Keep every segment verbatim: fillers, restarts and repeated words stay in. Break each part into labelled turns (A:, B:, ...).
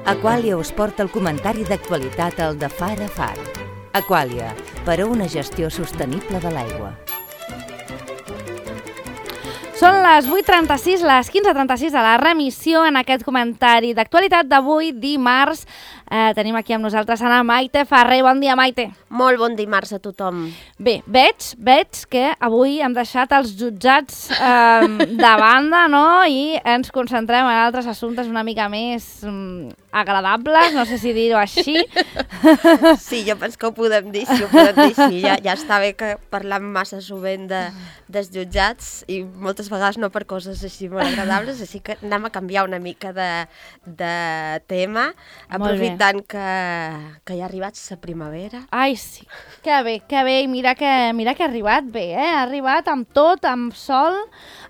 A: Aqualia us porta el comentari d'actualitat al de Far a Far. Aqualia, per a una gestió sostenible de l'aigua.
B: Són les vuit trenta-sis, les quinze trenta-sis de la remissió en aquest comentari d'actualitat d'avui, dimarts. Eh, tenim aquí amb nosaltres Ana Maite Ferrer. Bon dia, Maite.
C: Molt bon dimarts a tothom.
B: Bé, veig, veig que avui hem deixat els jutjats eh, de banda, no? I ens concentrem en altres assumptes una mica més mm, agradables, no sé si dir-ho així.
C: Sí, jo penso que ho podem dir, sí, ho podem dir així. Ja, ja està bé que parlam massa sovint de, dels jutjats i moltes vegades no per coses així molt agradables, així que anem a canviar una mica de, de tema, aprofitant que, que ja ha arribat la primavera.
B: Ai, sí, que bé, que bé, i mira que, mira que ha arribat bé, eh? Ha arribat amb tot, amb sol,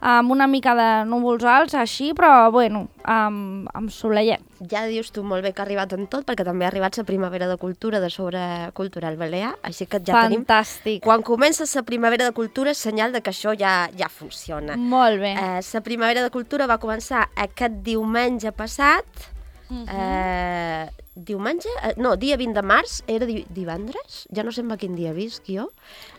B: amb una mica de núvols alts, així, però, bueno, amb, amb soleillet.
C: Ja dius tu molt bé que ha arribat en tot, perquè també ha arribat la primavera de cultura de sobre cultural balear, així que ja
B: Fantàstic.
C: tenim... Quan comença la primavera de cultura és senyal de que això ja, ja funciona.
B: Molt bé.
C: Eh, la primavera de cultura va començar aquest diumenge passat, uh-huh. eh, diumenge? Eh, no, dia vint de març, era di divendres, ja no sé en quin dia visc jo,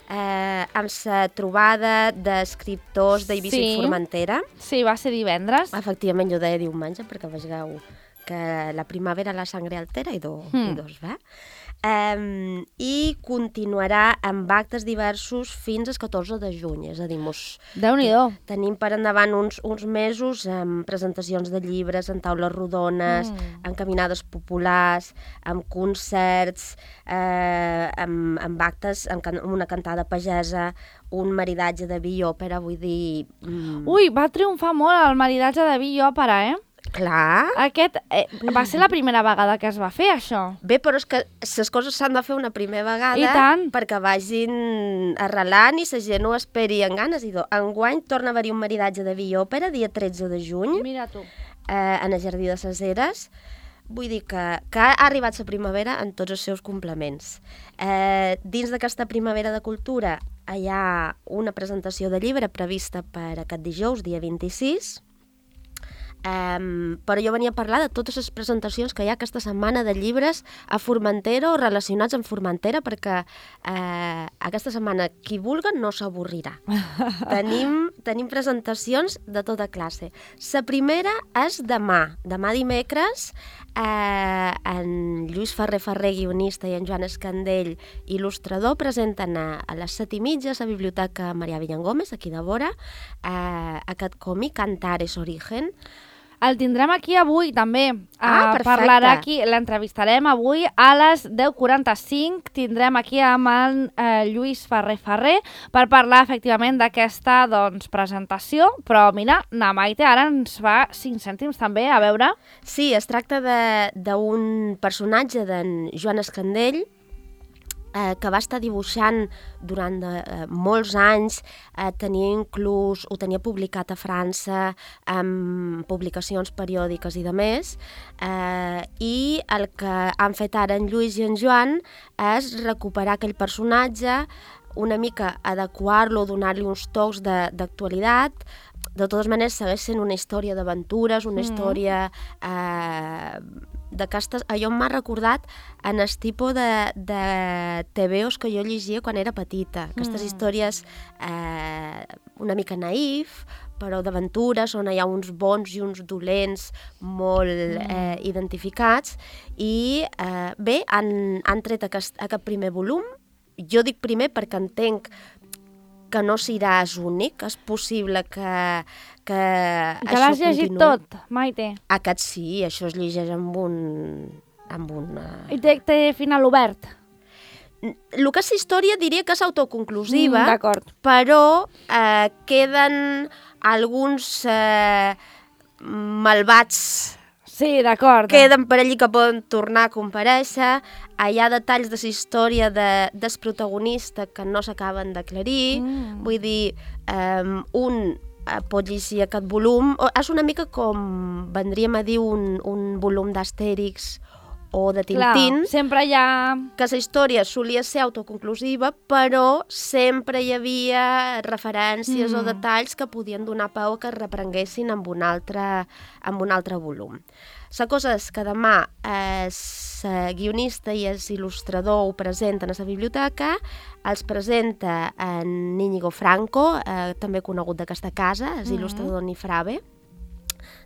C: eh, amb la trobada d'escriptors d'Eivissa
B: sí.
C: i Formentera.
B: Sí, va ser divendres.
C: Efectivament, jo deia diumenge, perquè vegeu que la primavera la sangre altera i, do, mm. i dos, va? Um, I continuarà amb actes diversos fins al catorze de juny, és a dir, mos,
B: Déu-n'hi-do.
C: Tenim per endavant uns, uns mesos amb presentacions de llibres, en taules rodones, mm. amb caminades populars, amb concerts, eh, amb, amb actes, amb, can amb una cantada pagesa, un maridatge de vi i òpera, vull dir... Mm.
B: Ui, va triomfar molt el maridatge de vi i òpera, eh?
C: Clar.
B: Aquest eh, va ser la primera vegada que es va fer, això.
C: Bé, però és que les coses s'han de fer una primera vegada
B: I tant.
C: perquè vagin arrelant i la gent ho esperi amb ganes. I enguany torna a haver-hi un maridatge de vi i òpera, dia tretze de juny,
B: Mira tu.
C: eh, en el Jardí de les Eres. Vull dir que, que ha arribat la primavera en tots els seus complements. Eh, dins d'aquesta primavera de cultura hi ha una presentació de llibre prevista per aquest dijous, dia vint-i-sis, Um, però jo venia a parlar de totes les presentacions que hi ha aquesta setmana de llibres a Formentera o relacionats amb Formentera, perquè uh, aquesta setmana qui vulgui no s'avorrirà. tenim, tenim presentacions de tota classe. La primera és demà, demà dimecres, uh, en Lluís Ferrer Ferrer, guionista, i en Joan Escandell, il·lustrador, presenten a, a les set i mitja a la Biblioteca Marià Villangómez, aquí de vora, uh, aquest còmic, Antares Origen.
B: El tindrem aquí avui, també.
C: Ah,
B: uh,
C: perfecte.
B: Parlarà aquí, l'entrevistarem avui a les deu quaranta-cinc. Tindrem aquí amb el uh, Lluís Ferrer Ferrer per parlar efectivament d'aquesta doncs, presentació. Però mira, na Maite ara ens fa cinc cèntims també, a veure.
C: Sí, es tracta d'un personatge d'en Joan Escandell, Eh, que va estar dibuixant durant de, eh, molts anys, eh, tenia inclús, ho tenia publicat a França, amb publicacions periòdiques i de més, eh, i el que han fet ara en Lluís i en Joan és recuperar aquell personatge, una mica adequar-lo, donar-li uns tocs d'actualitat. De totes maneres, segueix sent una història d'aventures, una mm. història... Eh, d'aquestes, allò m'ha recordat en el tipus de, de T V Os que jo llegia quan era petita. Aquestes mm. històries eh, una mica naïf, però d'aventures, on hi ha uns bons i uns dolents molt mm. eh, identificats. I eh, bé, han, han tret aquest, aquest primer volum. Jo dic primer perquè entenc que no seràs únic, és possible que, que,
B: que l'has llegit tot, Maite?
C: Aquest sí, això es llegeix amb un... Amb una...
B: I té, té final obert?
C: El que és història diria que és autoconclusiva,
B: mm,
C: però eh, queden alguns eh, malvats.
B: Sí, d'acord.
C: Queden per allí que poden tornar a comparèixer. Hi ha detalls de la història de, del protagonista que no s'acaben d'aclarir. Mm. Vull dir, um, un uh, pot llegir aquest volum. O, és una mica com, vendríem a dir, un, un volum d'Astèrix o de Tintín,
B: Clar, sempre hi ha...
C: que la història solia ser autoconclusiva, però sempre hi havia referències mm. o detalls que podien donar peu que es reprenguessin amb un altre, amb un altre volum. La cosa és que demà el guionista i el il·lustrador ho presenten a la biblioteca, els presenta en Íñigo Franco, eh, també conegut d'aquesta casa, el mm. il·lustrador Nifrave.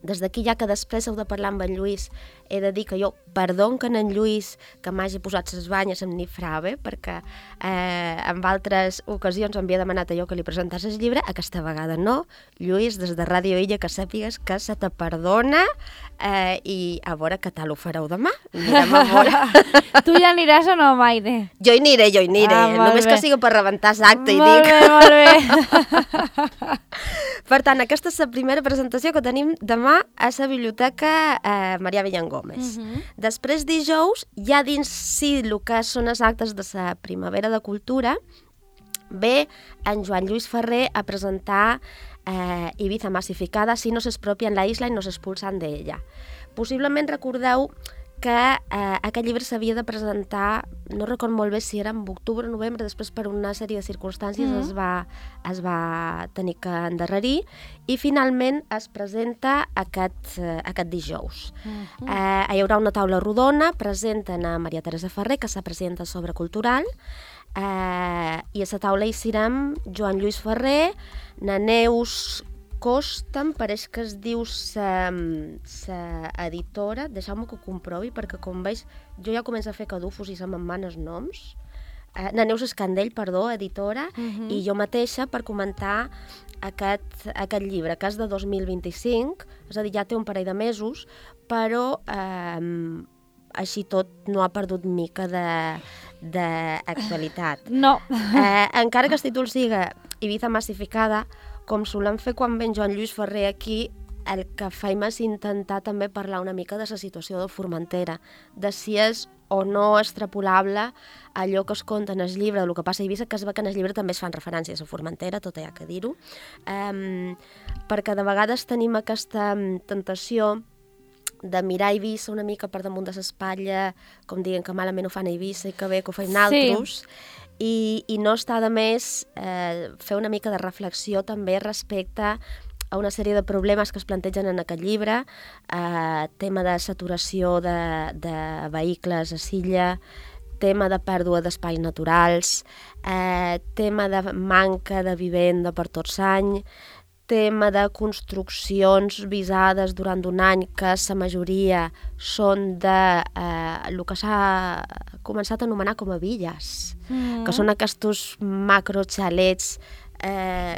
C: Des d'aquí, ja que després heu de parlar amb en Lluís, he de dir que jo perdon que en Lluís que m'hagi posat les banyes amb Nifrave, perquè eh, en altres ocasions m'havia demanat allò que li presentàs el llibre, aquesta vegada no. Lluís, des de Ràdio Illa, que sàpigues que se te perdona eh, i a veure què tal ho fareu demà. Anirem a veure.
B: Tu ja aniràs o no, Maide?
C: Jo hi aniré, jo hi aniré.
B: Ah,
C: Només
B: bé.
C: que sigui per rebentar l'acte i
B: molt
C: dic...
B: Bé, molt bé,
C: Per tant, aquesta és la primera presentació que tenim demà a la Biblioteca eh, Marià Villangómez. Uh -huh. Després, dijous, ja dins sí el que són els actes de la Primavera de Cultura, ve en Joan Lluís Ferrer a presentar eh, Ibiza Massificada, si no s'expropien la isla i no s'expulsan d'ella. Possiblement recordeu que eh, aquest llibre s'havia de presentar, no record molt bé si era en octubre o novembre, després per una sèrie de circumstàncies mm -hmm. es, va, es va tenir que endarrerir i finalment es presenta aquest, eh, aquest dijous. Mm -hmm. eh, hi haurà una taula rodona, presenten a Maria Teresa Ferrer, que és la presidenta sobre cultural, eh, i a la taula hi serem Joan Lluís Ferrer, na Neus Costa, em pareix que es diu sa, sa editora, deixeu-me que ho comprovi, perquè com veig, jo ja començo a fer cadufos i se me'n van els noms. Eh, na Neus Escandell, perdó, editora, uh-huh. i jo mateixa per comentar aquest, aquest llibre, que és de dos mil vint-i-cinc, és a dir, ja té un parell de mesos, però eh, així tot no ha perdut mica d'actualitat.
B: No.
C: Eh, encara que el títol siga Ibiza Massificada, com solem fer quan ven Joan Lluís Ferrer aquí, el que faim és intentar també parlar una mica de la situació de Formentera, de si és o no extrapolable allò que es conta en el llibre, del que passa a Eivissa, que es ve que en el llibre també es fan referències a Formentera, tot hi ha que dir-ho, um, perquè de vegades tenim aquesta tentació de mirar Eivissa una mica per damunt de l'espatlla, com diguen que malament ho fan a Eivissa i que bé que ho feim naltros, sí. I, i no està de més eh, fer una mica de reflexió també respecte a una sèrie de problemes que es plantegen en aquest llibre, eh, tema de saturació de, de vehicles a Silla, tema de pèrdua d'espais naturals, eh, tema de manca de vivenda per tots any, tema de construccions visades durant un any que la majoria són de eh, el que s'ha començat a anomenar com a villes, mm. que són aquests macroxalets eh,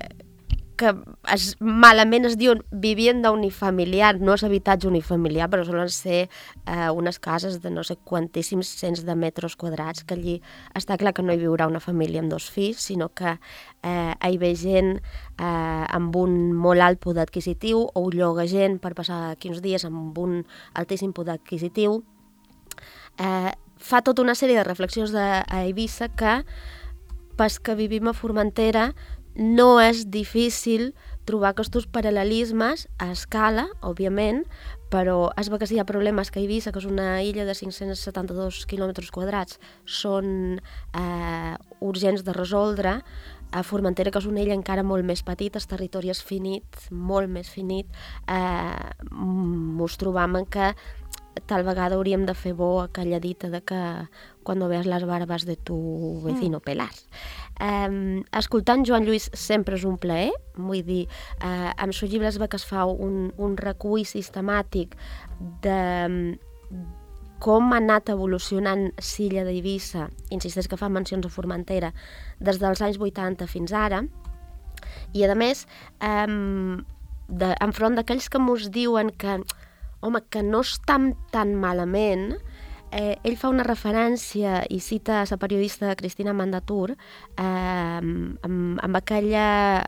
C: que es, malament es diuen vivienda unifamiliar, no és habitatge unifamiliar, però solen ser eh, unes cases de no sé quantíssims cents de metres quadrats, que allí està clar que no hi viurà una família amb dos fills, sinó que eh, hi ve gent eh, amb un molt alt poder adquisitiu o ho lloga gent per passar quinze dies amb un altíssim poder adquisitiu. Eh, fa tota una sèrie de reflexions de, a Eivissa que, pas que vivim a Formentera, no és difícil trobar aquests paral·lelismes a escala, òbviament, però es veu que si hi ha problemes que Eivissa, que és una illa de cinc-cents setanta-dos quilòmetres quadrats, són eh, urgents de resoldre. A Formentera, que és una illa encara molt més petita, el territori és finit, molt més finit, eh, mos trobam en que tal vegada hauríem de fer bo aquella dita de que quan veus les barbes de tu vecino pelar. Eh, escoltant Joan Lluís sempre és un plaer, vull dir, eh, amb el seu llibre es ve que es fa un, un recull sistemàtic de com ha anat evolucionant Silla d'Eivissa, insisteix que fa mencions a Formentera, des dels anys vuitanta fins ara, i a més, eh, de, enfront d'aquells que mos diuen que home, que no estan tan malament, eh, ell fa una referència i cita a la periodista Cristina Mandatur eh, amb, amb, aquella,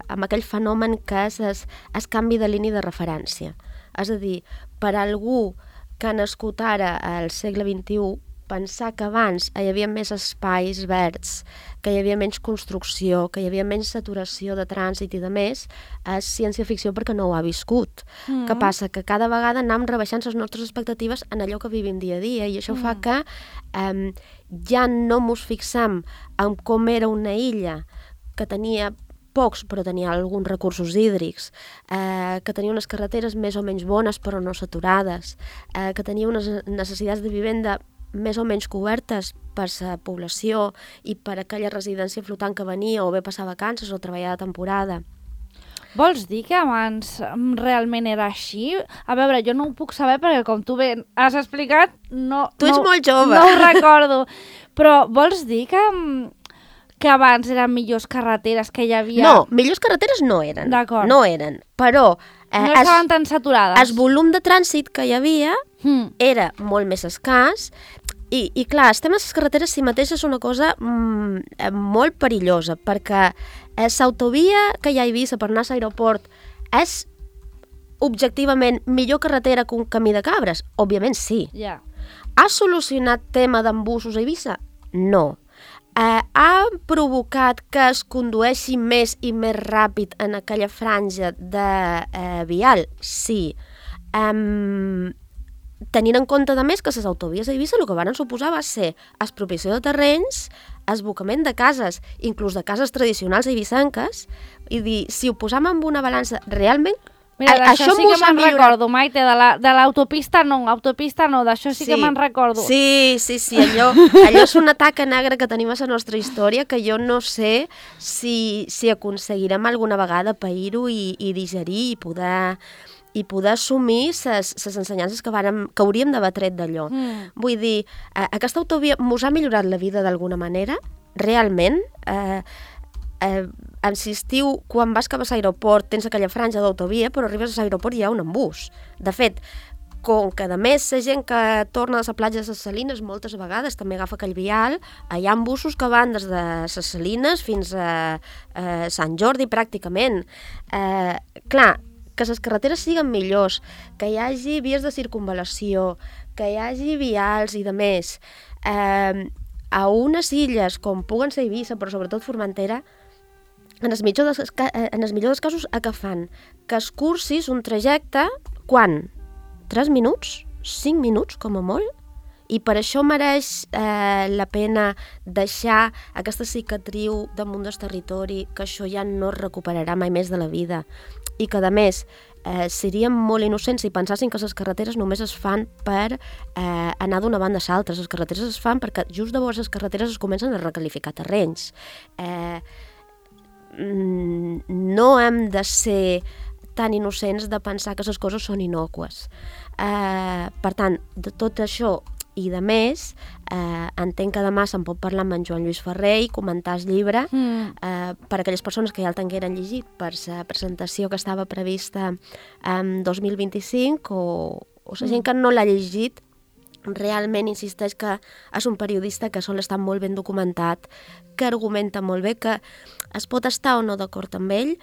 C: amb aquell fenomen que és el, el canvi de línia de referència. És a dir, per algú que ha nascut ara al segle vint-i-u, pensar que abans hi havia més espais verds, que hi havia menys construcció, que hi havia menys saturació de trànsit i de més, és ciència-ficció perquè no ho ha viscut. Mm. Què passa? Que cada vegada anem rebaixant les nostres expectatives en allò que vivim dia a dia, i això mm. fa que eh, ja no mos fixem en com era una illa que tenia pocs, però tenia alguns recursos hídrics, eh, que tenia unes carreteres més o menys bones però no saturades, eh, que tenia unes necessitats de vivenda més o menys cobertes per la població i per aquella residència flotant que venia o bé passar vacances o treballar de temporada.
B: Vols dir que abans realment era així? A veure, jo no ho puc saber perquè com tu bé has explicat, no,
C: tu ets
B: no,
C: molt jove.
B: No ho recordo. Però vols dir que, que abans eren millors carreteres que hi havia?
C: No, millors carreteres no eren.
B: D'acord.
C: No eren, però...
B: Eh, no estaven es, tan saturades.
C: El volum de trànsit que hi havia mm. era molt més escàs. I, i clar, estem a les carreteres si mateix és una cosa mm, molt perillosa, perquè eh, l'autovia que hi ha a Eivissa per anar a l'aeroport és objectivament millor carretera que un camí de cabres? Òbviament sí.
B: Yeah.
C: Ha solucionat tema d'embussos a Eivissa? No. Eh, ha provocat que es condueixi més i més ràpid en aquella franja de eh, vial? Sí. Um, tenint en compte, a més, que les autovies a Eivissa el que van suposar va ser expropiació de terrenys, esbocament de cases, inclús de cases tradicionals eivissenques, i dir, si ho posam en una balança, realment...
B: Mira, d'això sí que me'n recordo, Maite, de l'autopista no, autopista no, d'això sí, sí que me'n recordo.
C: Sí, sí, sí, allò, allò és una taca negra que tenim a la nostra història que jo no sé si, si aconseguirem alguna vegada pair-ho i, i digerir i poder... i poder assumir les ensenyances que, vàrem, que hauríem d'haver tret d'allò. Mm. Vull dir, eh, aquesta autovia mos ha millorat la vida d'alguna manera? Realment? Eh, eh, si estiu, quan vas cap a l'aeroport, tens aquella franja d'autovia, però arribes a l'aeroport i hi ha un embús. De fet, com que a més la gent que torna de la platja de les Salines moltes vegades també agafa aquell vial, hi ha embussos que van des de les Salines fins a, a Sant Jordi pràcticament. Eh, clar, que les carreteres siguin millors, que hi hagi vies de circunvalació, que hi hagi vials i de més. Eh, a unes illes, com puguen ser Eivissa, però sobretot Formentera, en els millors dels, en els millors dels casos, a què fan? Que es cursis un trajecte, quan? tres minuts? cinc minuts, com a molt? I per això mereix eh, la pena deixar aquesta cicatriu damunt del territori, que això ja no es recuperarà mai més de la vida. I que, a més, eh, seríem molt innocents si pensassin que les carreteres només es fan per eh, anar d'una banda a l'altra. Les carreteres es fan perquè just de vora les carreteres es comencen a recalificar terrenys. Eh, no hem de ser tan innocents de pensar que les coses són innòcues. Eh, per tant, de tot això i de més, eh, entenc que demà se'n pot parlar amb en Joan Lluís Ferrer i comentar el llibre mm. eh, per a aquelles persones que ja el tingueren llegit per la presentació que estava prevista en dos mil vint-i-cinc o, o la gent que no l'ha llegit realment insisteix que és un periodista que sol estar molt ben documentat, que argumenta molt bé, que es pot estar o no d'acord amb ell,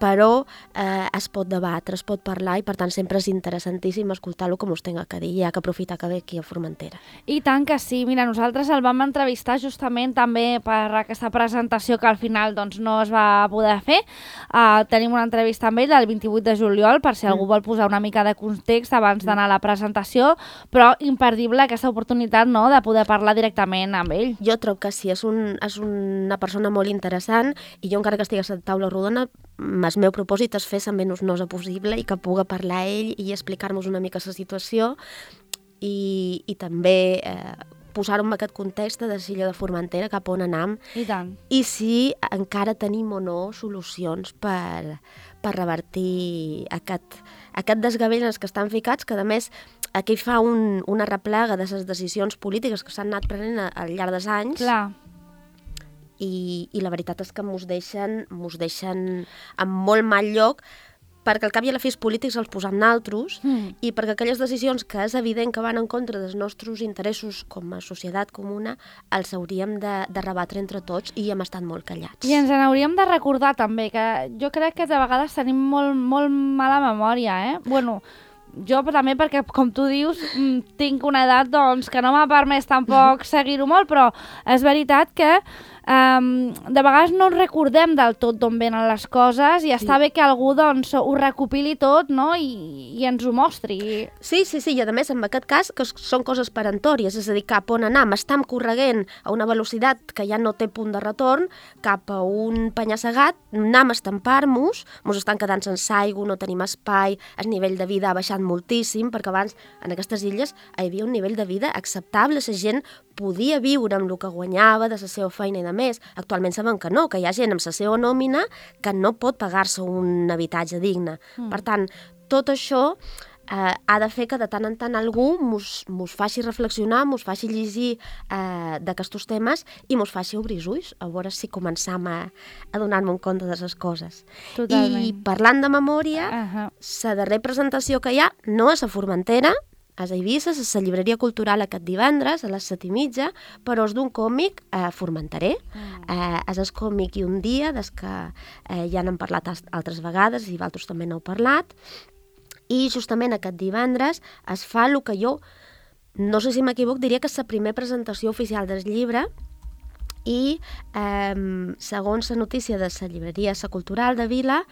C: però eh, es pot debatre, es pot parlar i per tant sempre és interessantíssim escoltar-lo com us tenga que dir, ja que aprofitar que ve aquí a Formentera.
B: I tant que sí, mira, nosaltres el vam entrevistar justament també per aquesta presentació que al final doncs, no es va poder fer. Uh, tenim una entrevista amb ell el vint-i-vuit de juliol, per si mm. algú vol posar una mica de context abans d'anar a la presentació, però imperdible aquesta oportunitat, no?, de poder parlar directament amb ell.
C: Jo trobo que sí, és, un, és una persona molt interessant i jo encara que estigui a la taula rodona el meu propòsit és fer la menys nosa possible i que puga parlar ell i explicar-nos una mica la situació i, i també eh, posar-ho en aquest context de l'illa de Formentera, cap on anam.
B: I tant.
C: I si encara tenim o no solucions per, per revertir aquest, aquest desgavell en els que estan ficats, que a més aquí fa un, una replega de les decisions polítiques que s'han anat prenent al llarg dels anys.
B: Clar.
C: I, i la veritat és que mos deixen, mos deixen en molt mal lloc perquè al cap i a la fi els polítics els posam naltros mm. i perquè aquelles decisions que és evident que van en contra dels nostres interessos com a societat comuna els hauríem de, de rebatre entre tots i hem estat molt callats.
B: I ens n'hauríem de recordar també, que jo crec que de vegades tenim molt, molt mala memòria, eh? Bueno, jo també perquè, com tu dius, tinc una edat doncs, que no m'ha permès tampoc seguir-ho molt, però és veritat que Um, de vegades no recordem del tot d'on venen les coses i sí. està bé que algú doncs, ho recopili tot, no? I, i ens ho mostri.
C: Sí, sí, sí, i a més en aquest cas que són coses perentòries, és a dir, cap on anar, m'estam correguent a una velocitat que ja no té punt de retorn, cap a un penya-segat, anem a estampar-nos, mos estan quedant sense aigua, no tenim espai, el nivell de vida ha baixat moltíssim, perquè abans en aquestes illes hi havia un nivell de vida acceptable, la gent podia viure amb el que guanyava de la seva feina i de més. Actualment sabem que no, que hi ha gent amb la seva nòmina que no pot pagar-se un habitatge digne. Mm. Per tant, tot això eh, ha de fer que de tant en tant algú mos, mos faci reflexionar, mos faci llegir eh, d'aquests temes i mos faci obrir els ulls, a veure si començam a, a donar-me un compte de les coses.
B: Totalment.
C: I parlant de memòria, la uh-huh. darrera presentació que hi ha no és a Formentera, és a Eivissa, és a la llibreria cultural aquest divendres, a les set i mitja, però és d'un còmic eh, formenterè. Mm. Eh, és el còmic I un dia, des que eh, ja n'hem parlat altres vegades i vosaltres també n'heu parlat. I justament aquest divendres es fa el que jo, no sé si m'equivoc, diria que és la primera presentació oficial del llibre, i eh, segons la notícia de la llibreria La Cultural de Vila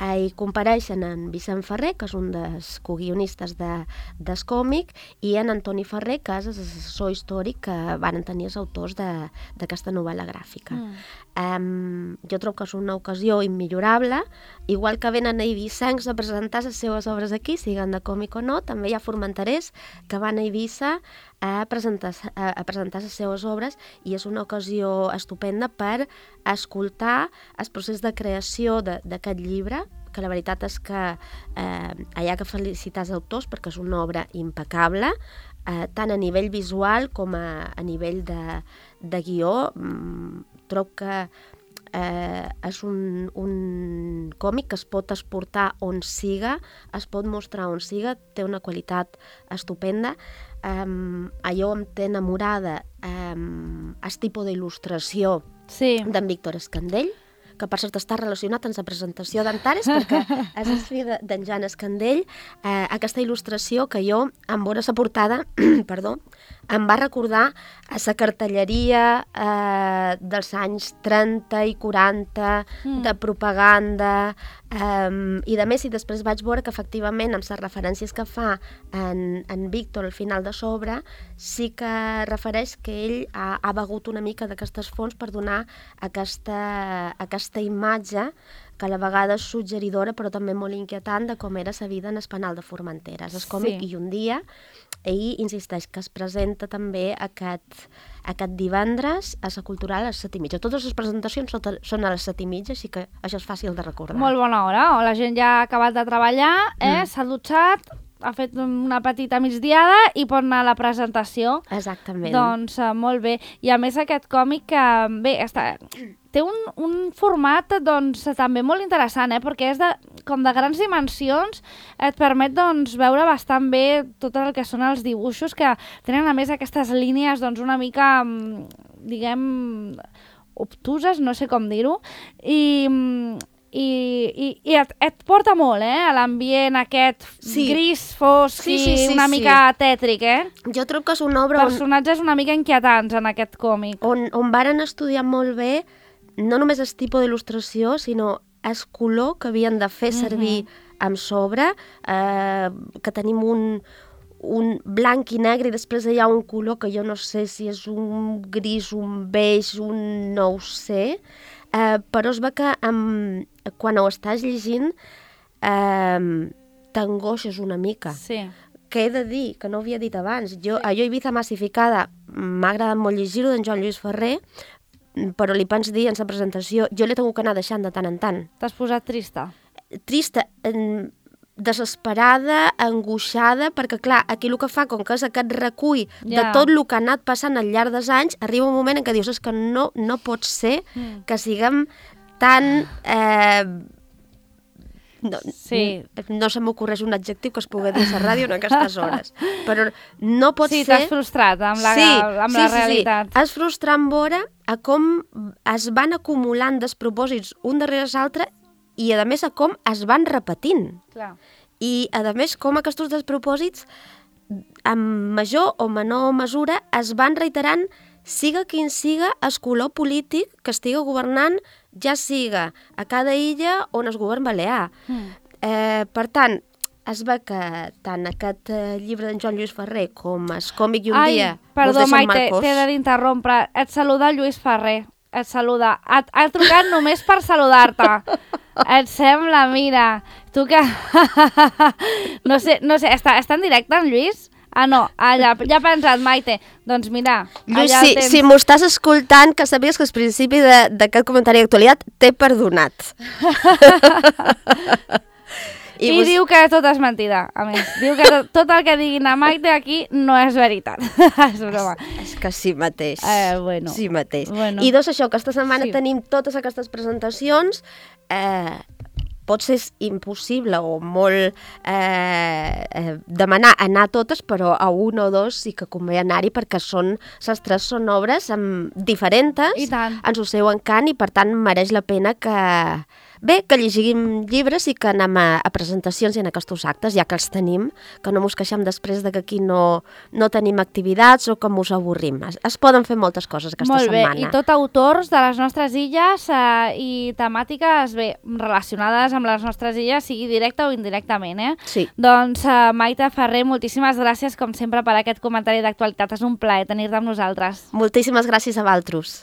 C: eh, hi compareixen en Vicent Ferrer, que és un dels coguionistes de, del còmic, i en Antoni Ferrer, que és l'assessor històric que van tenir els autors d'aquesta novel·la gràfica. Mm. Eh, jo trobo que és una ocasió immillorable, igual que venen a Eivissencs a presentar les seves obres aquí, siguin de còmic o no, també hi ha formenterers que van a Eivissa a presentar, a, a presentar les seves obres, i és una ocasió estupenda per escoltar el procés de creació d'aquest llibre, que la veritat és que eh, hi ha que felicitar els autors perquè és una obra impecable, eh, tant a nivell visual com a, a nivell de, de guió. Mm, trobo que eh, és un, un còmic que es pot exportar on siga, es pot mostrar on siga, té una qualitat estupenda. Um, allò em té enamorada um, el tipus d'il·lustració
B: sí. d'en
C: Víctor Escandell, que per cert està relacionat amb la presentació d'Antares, perquè és el fill d'en Joan Escandell. Eh, aquesta il·lustració que jo, en veure la portada, perdó, em va recordar a la cartelleria eh, dels anys trenta i quaranta, mm. de propaganda, eh, i de més, i després vaig veure que efectivament amb les referències que fa en, en Víctor al final de sobre, sí que refereix que ell ha, ha begut una mica d'aquestes fonts per donar aquesta, aquesta imatge que a la vegada és suggeridora però també molt inquietant de com era la vida en el penal de Formentera. És còmic sí. I un dia, i insisteix que es presenta també aquest, aquest divendres a la Cultural a les set i mitja. Totes les presentacions són a les set i mitja, així que això és fàcil de recordar.
B: Molt bona hora, o la gent ja ha acabat de treballar, eh? Mm. S'ha dutxat, ha fet una petita migdiada i pot anar a la presentació.
C: Exactament.
B: Doncs uh, molt bé. I a més aquest còmic que, bé, està... té un, un format doncs, també molt interessant, eh? Perquè és de, com de grans dimensions, et permet doncs, veure bastant bé tot el que són els dibuixos, que tenen a més aquestes línies doncs, una mica, diguem, obtuses, no sé com dir-ho, i... I, i, i et, et porta molt, eh, a l'ambient aquest sí. gris, fosc sí, sí, sí, i una sí. mica tètric, eh?
C: Jo trobo que és una obra...
B: Personatges on... una mica inquietants en aquest còmic.
C: On, on varen estudiar molt bé no només el tipus d'il·lustració, sinó el color que havien de fer servir uh-huh. amb sobre, eh, que tenim un, un blanc i negre i després hi ha un color que jo no sé si és un gris, un beix, un no ho sé... Uh, però es ve que um, quan ho estàs llegint uh, t'angoixes una mica.
B: Sí.
C: Que he de dir, que no ho havia dit abans, jo, sí. a jo Ibiza Massificada m'ha agradat molt llegir-ho d'en Joan Lluís Ferrer, però li pens dir en la presentació, jo l'he tingut que anar deixant de tant en tant.
B: T'has posat trista?
C: Trista, eh, desesperada, angoixada, perquè clar, aquí el que fa, com que és aquest recull yeah. de tot el que ha anat passant al llarg dels anys, arriba un moment en què dius, és que no, no pot ser mm. que siguem tan... Eh, no,
B: sí.
C: no se m'ocorreix un adjectiu que es pugui dir a la ràdio en aquestes hores, però no pot
B: sí,
C: ser...
B: Sí, t'has frustrat amb la,
C: sí,
B: amb
C: sí,
B: la
C: sí,
B: realitat.
C: Sí, és frustrant veure a com es van acumulant despropòsits un darrere l'altre i, a més, a com es van repetint.
B: Clar.
C: I, a més, com aquests despropòsits, en major o menor mesura, es van reiterant siga quin siga el color polític que estigui governant, ja siga a cada illa on es govern balear. Mm. Eh, per tant, es ve que tant aquest eh, llibre d'en Joan Lluís Ferrer com el còmic i un
B: Ai,
C: dia...
B: perdó, Maite, t'he de d'interrompre. Et saluda Lluís Ferrer. Et saluda. Ha, ha trucat només per saludar-te. Et sembla, mira. Tu que... no sé, no sé, està, està en directe, en Lluís? Ah, no, ah, ja, ja ha pensat, Maite. Doncs mira,
C: Lluís,
B: allà
C: si,
B: tens...
C: si m'ho estàs escoltant, que sabies que al principi d'aquest comentari d'actualitat t'he perdonat.
B: I, I vos... diu que tot és mentida, a més. Diu que tot, tot el que diguin a Maite aquí no és veritat. És broma.
C: És que sí mateix.
B: Eh, bueno.
C: Sí mateix.
B: Bueno.
C: I doncs això, que aquesta setmana
B: sí.
C: tenim totes aquestes presentacions. Eh, pot ser impossible o molt eh, eh, demanar anar a totes, però a una o dos sí que convé anar-hi perquè són, les tres són obres amb diferents, en el seu encant, i per tant mereix la pena que... Bé, que llegim llibres i que anem a, a presentacions i en aquests actes, ja que els tenim, que no mos queixem després de que aquí no, no tenim activitats o que mos avorrim. Es, es poden fer moltes coses aquesta
B: Molt bé.
C: setmana.
B: I tot autors de les nostres illes eh, i temàtiques bé, relacionades amb les nostres illes, sigui directe o indirectament. Eh?
C: Sí.
B: Doncs, eh, Maite Ferrer, moltíssimes gràcies, com sempre, per aquest comentari d'actualitat. És un plaer tenir-te amb nosaltres.
C: Moltíssimes gràcies a vosaltres.